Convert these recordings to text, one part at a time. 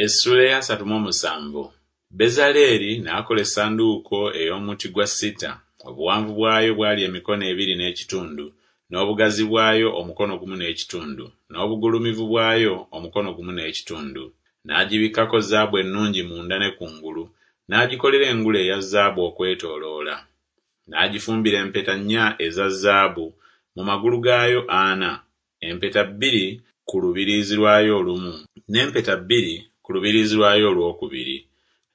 Essuula ey'asatu mu omusanvu. Bezaleeri n'akola essanduuko ey'omuti gwa sita, obuwanvu bwayo bwali emikono ebiri n'ekitundu, n'obugazi bwayo omukono gumu n'ekitundu, n'obugulumivu bwayo omukono gumu n'ekitundu. N'agibikkako zaabu ennungi munda ne kungulu, n'agikolera engule eya zaabu okwetooloola. N'agifumbira empeta nnya eza zaabu mu magulu gaayo ana, empeta bbiri ku lubiriizi lwayo olumu, n'empeta bbiri ku lubiriizi lwayo olwokubiri.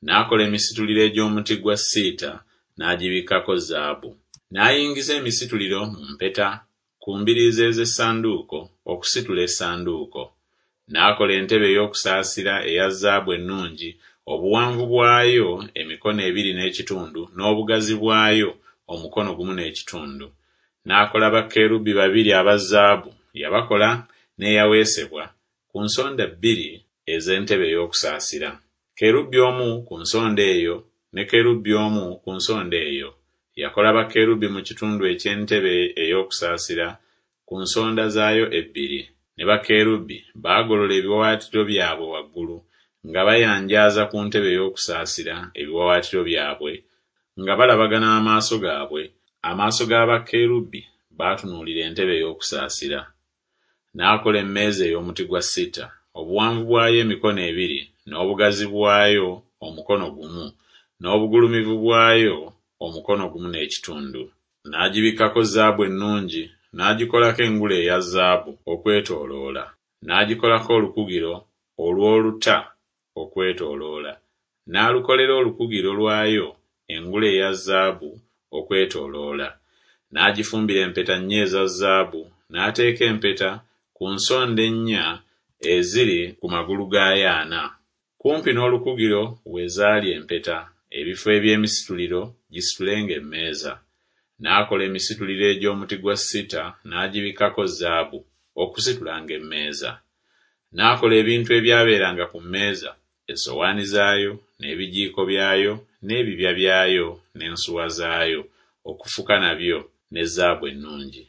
N'akola emisituliro egy'omuti gwa siita, n'agibikkako zaabu. N'ayingiza emisituliro mu mpeta ku mbiriizi ez'essanduuko, okusitula essanduuko. N'akola entebe ey'okusaasira eya zaabu ennungi, obuwanvu bwayo emikono ebiri n'ekitundu, n'obugazi bwayo omukono gumu n'ekitundu. N'akola bakerubi babiri aba zaabu, yabakola n'eyaweesebwa, ku nsonda bbiri ez'entebe ey'okusaasira, kerubi omu ku nsonda eyo, ne kerubi omu ku nsonda eyo. Yakola bakerubi mu kitundu eky'entebe ey'okusaasira ku nsonda zaayo ebbiri. Ne bakerubi baagolola ebiwaawaatiro byabwe waggulu, nga bayanjaaza ku ntebe ey'okusaasira ebiwaawaatiro byabwe, nga balabagana amaaso gaabwe, amaaso ga bakerubi baatunuulira entebe ey'okusaasira. N'akola emmeeza ey'omuti gwa sita, obuwanvu bwayo emikono ebiri, n'obugazi bwayo omukono gumu, n'obugulumivu bwayo omukono gumu n'ekitundu. N'agibikkako zaabu ennungi, n'agikolako engule eya zaabu okwetooloola, n'agikolako olukugiro olw'oluta okwetooloola, n'alukolera olukugiro lwayo engule eya zaabu okwetooloola. N'agifumbira empeta nnya eza zaabu, n'ateeka empeta ku nsonda ennya eziri ku magulu gaayo ana. Kumpi n'olukugiro we zaali empeta, ebifo eby'emisituliro gisitulenga emmeeza. N'akola emisituliro egy'omuti gwa sita n'agibikkako zaabu, okusitulanga emmeeza. N'akola ebintu ebyabeeranga ku mmeeza, essowaani zaayo, n'ebijiiko byayo, n'ebibya byayo, n'ensuwa zaayo, okufuka nabyo, ne zaabu ennungi.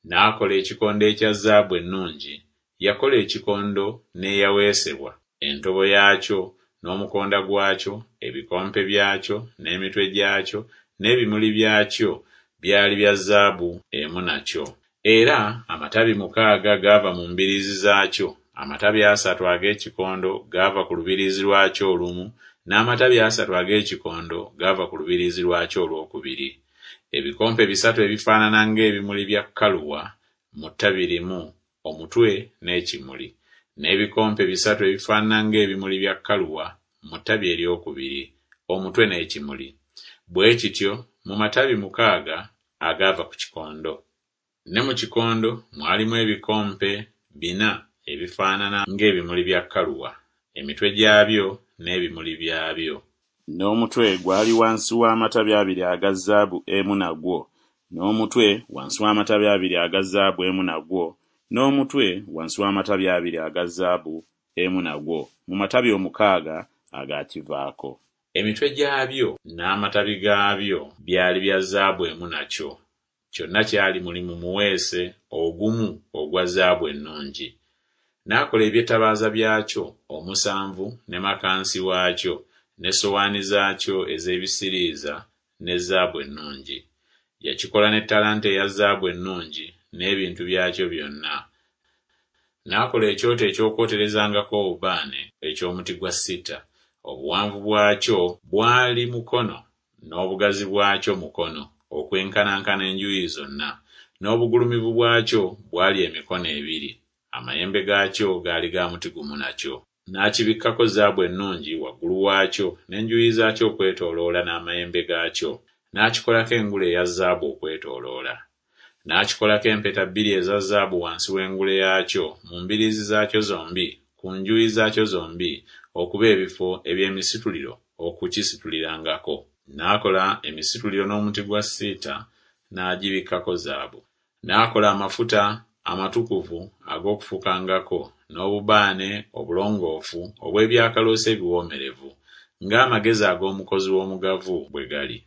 N'akola ekikondo ekya zaabu ennungi, yakola ekikondo n'eyaweesebwa, entobo yaakyo, n'omukonda gwakyo, ebikompe byakyo, n'emitwe gyakyo, n'ebimuli byakyo, byali bya zaabu emu nakyo. Era amatabi mukaaga gaava mu mbiriizi zaakyo, amatabi asatu ag'ekikondo gaava ku lubiriizi lwakyo olumu, n'amatabi asatu ag'ekikondo gaava ku lubiriizi lwakyo olwokubiri. Ebikompe bisatu ebifaanana ng'ebimuli bya kaluwa mu ttabi limu, omutwe n'ekimuli, n'ebikompe bisatu ebifaanana ng'ebimuli bya kaluwa mu ttabi eryokubiri, omutwe n'ekimuli, bwe kityo mu matabi mukaaga agaava ku kikondo. Ne mu kikondo mwalimu ebikompe bina ebifaanana ng'ebimuli bya kaluwa, emitwe gyabyo n'ebimuli byabyo. N'omutwe gwali wansi w'amatabi abiri aga zaabu emu nagwo, n'omutwe wansi w'amatabi abiri aga zaabu emu nagwo, n'omutwe wansi w'amatabi abiri aga zaabu emu nagwo, mu matabi omukaaga agaakivaako. Emitwe gyabyo n'amatabi gaabyo byali bya zaabu emu nakyo, kyonna kyali mulimu muweese ogumu ogwa zaabu ennungi. N'akola eby'ettabaaza byakyo omusanvu ne makansi waakyo n'essowaani zaakyo ez'ebisiriiza ne zaabu ennungi. Yakikola ne ttalanta eya zaabu ennungi n'ebintu byakyo byonna. N'akola ekyoto eky'okwoterezangako obubaane eky'omuti gwa sita, obuwanvu bwakyo bwali mukono, n'obugazi bwakyo mukono, okwenkanankana enjuuyi zonna, n'obugulumivu bwakyo bwali emikono ebiri, amayembe gaakyo gaali ga muti gumu nakyo. N'akibikkako zaabu ennungi waggulu waakyo n'enjuuyi zaakyo okwetooloola n'amayembe gaakyo, n'akikolako engule eya zaabu okwetooloola. N'akikolako empeta bbiri eza zaabu wansi w'engule yaakyo mu mbiriizi zaakyo zombi ku njuyi zaakyo zombi okuba ebifo eby'emisituliro okukisitulirangako. N'akola emisituliro n'omuti gwa sita n'agibikkako zaabu. N'akola amafuta amatukuvu ag'okufukangako, n'obubaane obulongoofu obw'ebyakaloosa ebiwoomerevu, ng'amagezi ag'omukozi w'omugavu bwe gali.